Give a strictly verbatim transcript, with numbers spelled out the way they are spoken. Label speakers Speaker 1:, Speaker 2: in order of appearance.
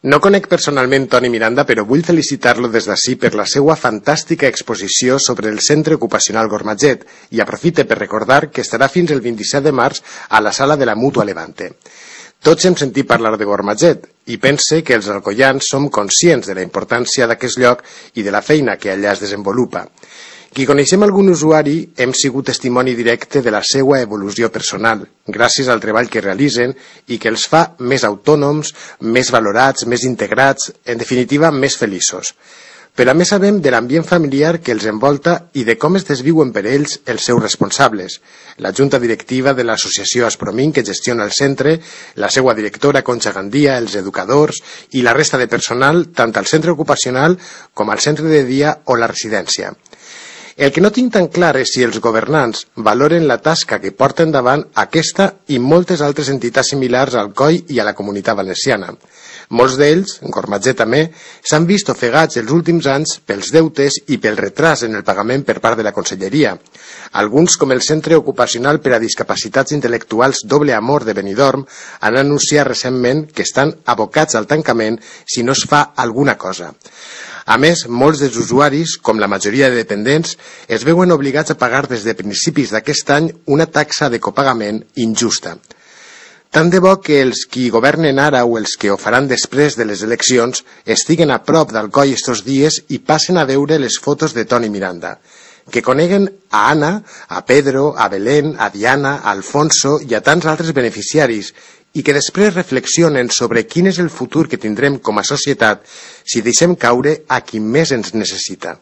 Speaker 1: No conec personalment Toni Miranda, però vull felicitar-lo des d'ací per la seva fantàstica exposició sobre el Centre Ocupacional Gormatget i aprofite per recordar que estarà fins el vint-i-set de març a la sala de la Mútua Levante. Tots hem sentit parlar de Gormatget i pense que els alcoians som conscients de la importància d'aquest lloc i de la feina que allà es desenvolupa. Qui coneixem algun usuari hem sigut testimoni directe de la seva evolució personal, gràcies al treball que realitzen i que els fa més autònoms, més valorats, més integrats, en definitiva, més feliços. Però a més sabem de l'ambient familiar que els envolta i de com es desviuen per ells els seus responsables. La junta directiva de l'associació Aspromin, que gestiona el centre, la seva directora Concha Gandia, els educadors i la resta de personal, tant al centre ocupacional com al centre de dia o la residència. El que no tinc tan clar és si els governants valoren la tasca que porten davant aquesta i moltes altres entitats similars al C O I i a la Comunitat Valenciana. Molts d'ells, Gormatget també, s'han vist ofegats els últims anys pels deutes i pel retras en el pagament per part de la Conselleria. Alguns, com el Centre Ocupacional per a Discapacitats Intel·lectuals Doble Amor de Benidorm, han anunciat recentment que estan abocats al tancament si no es fa alguna cosa. A més, molts dels usuaris, com la majoria de dependents, es veuen obligats a pagar des de principis d'aquest any una taxa de copagament injusta. Tant de bo que els qui governen ara o els que ho faran després de les eleccions estiguen a prop del C O I estos dies i passen a veure les fotos de Toni Miranda. Que coneguen a Anna, a Pedro, a Belén, a Diana, a Alfonso i a tants altres beneficiaris i que després reflexionen sobre quin és el futur que tindrem com a societat si deixem caure a qui més ens necessita.